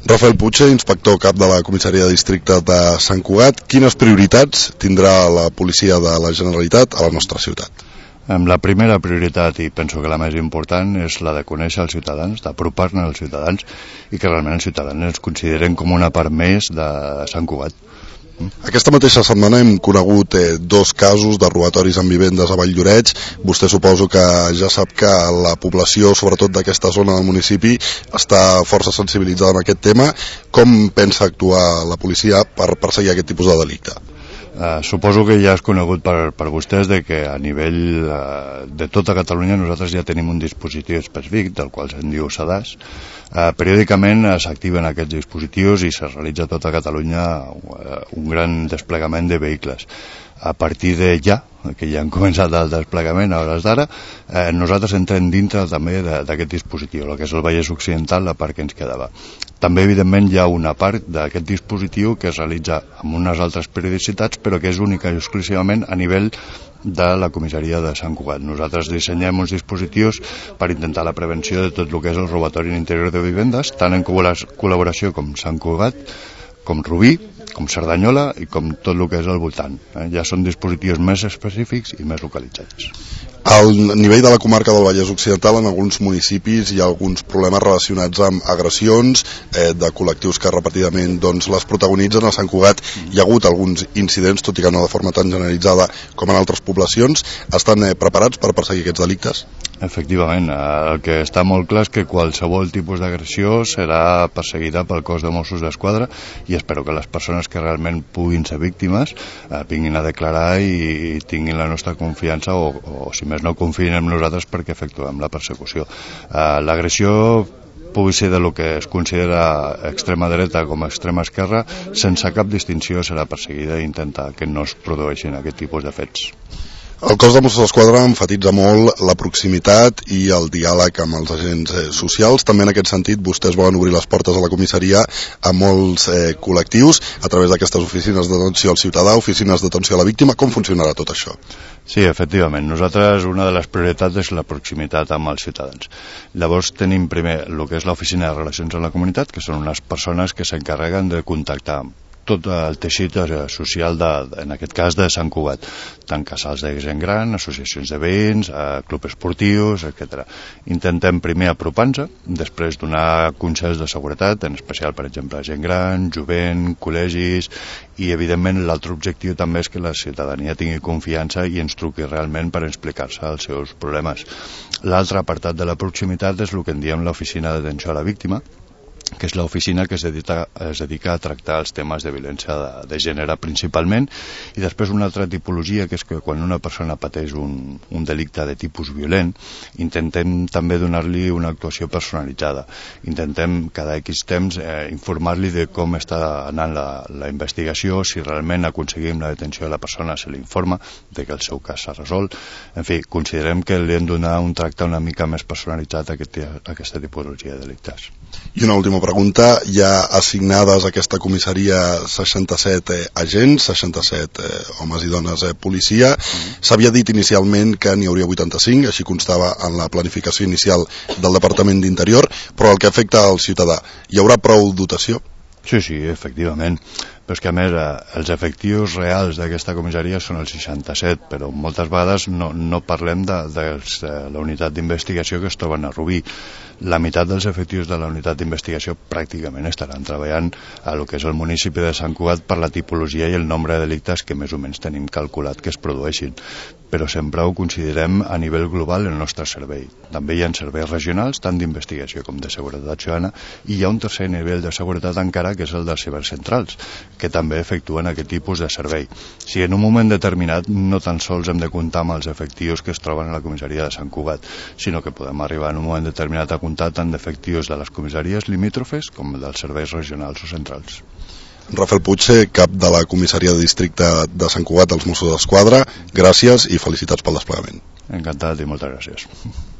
Rafael Puig, inspector cap de la comissaria de districte de Sant Cugat. Quines prioritats tindrà la policia de la Generalitat a la nostra ciutat? La primera prioritat, i penso que la més important, és la de conèixer els ciutadans, d'apropar-ne als ciutadans i que realment els ciutadans ens consideren com una part més de Sant Cugat. Aquesta mateixa setmana hem conegut dos casos de robatoris en vivendes a Valldoreix. Vostè suposo que ja sap que la població, sobretot d'aquesta zona del municipi, està força sensibilitzada en aquest tema. Com pensa actuar la policia per perseguir aquest tipus de delicte? Suposo que ja és conegut per vostès de que a nivell de tota Catalunya nosaltres ja tenim un dispositiu específic, del qual se'n diu SEDAS. Periòdicament s'activen aquests dispositius i se realitza a tota Catalunya un gran desplegament de vehicles. A partir de ja, que ja han començat el desplegament a hores d'ara, nosaltres entrem dintre també d'aquest dispositiu, el que és el Vallès Occidental, la part que ens quedava. També, evidentment, hi ha una part d'aquest dispositiu que es realitza amb unes altres periodicitats, però que és única i exclusivament a nivell de la comissaria de Sant Cugat. Nosaltres dissenyem uns dispositius per intentar la prevenció de tot el que és el robatori en interior de vivendes, tant en col·laboració com Sant Cugat, com Rubí, com Cerdanyola i com tot el que és al voltant. Ja són dispositius més específics i més localitzats. Al nivell de la comarca del Vallès Occidental, en alguns municipis hi ha alguns problemes relacionats amb agressions de col·lectius que repetidament les protagonitzen. A Sant Cugat hi ha hagut alguns incidents, tot i que no de forma tan generalitzada com en altres poblacions. Estan preparats per perseguir aquests delictes? Efectivament, el que està molt clar és que qualsevol tipus d'agressió serà perseguida pel cos de Mossos d'Esquadra i espero que les persones que realment puguin ser víctimes vinguin a declarar i tinguin la nostra confiança o si més no confiïn en nosaltres perquè efectuem la persecució. L'agressió pugui ser de lo que es considera extrema dreta com a extrema esquerra, sense cap distinció serà perseguida i intentar que no es produeixin aquest tipus de fets. El cos de Mossos d'Esquadra emfatitza molt la proximitat i el diàleg amb els agents socials. També en aquest sentit vostès volen obrir les portes a la comissaria a molts col·lectius a través d'aquestes oficines d'atenció al ciutadà, oficines d'atenció a la víctima. Com funcionarà tot això? Sí, efectivament. Nosaltres una de les prioritats és la proximitat amb els ciutadans. Llavors tenim primer el que és l'oficina de relacions amb la comunitat, que són unes persones que s'encarreguen de contactar tot el teixit social, en aquest cas de Sant Cugat, tant casals de gent gran, associacions de veïns, clubs esportius, etc. Intentem primer apropar-nos, després donar consells de seguretat, en especial, per exemple, gent gran, jovent, col·legis, i evidentment l'altre objectiu també és que la ciutadania tingui confiança i ens truqui realment per explicar-se els seus problemes. L'altre apartat de la proximitat és el que en diem l'oficina d'atenció a la víctima, que és l'oficina que es dedica a tractar els temes de violència de gènere principalment, i després una altra tipologia que és que quan una persona pateix un delicte de tipus violent intentem també donar-li una actuació personalitzada. Intentem cada X temps informar-li de com està anant la investigació, si realment aconseguim la detenció de la persona se l'informa de que el seu cas s'ha resolt. En fi, considerem que li hem de donar un tracte una mica més personalitzat a aquesta tipologia de delictes. I una última pregunta, hi ha assignades a aquesta comissaria 67 agents, 67 homes i dones policia. S'havia dit inicialment que n'hi hauria 85, així constava en la planificació inicial del Departament d'Interior, però el que afecta al ciutadà, hi haurà prou dotació? Sí, efectivament. Però és que a més els efectius reals d'aquesta comissaria són els 67, però moltes vegades no parlem de la unitat d'investigació que es troben a Rubí. La meitat dels efectius de la unitat d'investigació pràcticament estaran treballant a lo que és el municipi de Sant Cugat per la tipologia i el nombre de delictes que més o menys tenim calculat que es produeixin. Però sempre ho considerem a nivell global el nostre servei. També hi ha serveis regionals, tant d'investigació com de seguretat ciutadana, i hi ha un tercer nivell de seguretat encara, que és el de cibercentrals, que també efectuen aquest tipus de servei. Si en un moment determinat no tan sols hem de comptar amb els efectius que es troben a la comissaria de Sant Cugat, sinó que podem arribar en un moment determinat a comptar tant d'efectius de les comissaries limítrofes com dels serveis regionals o centrals. Rafael Puig, cap de la comissaria de districte de Sant Cugat dels Mossos d'Esquadra, gràcies i felicitats pel desplegament. Encantat i moltes gràcies.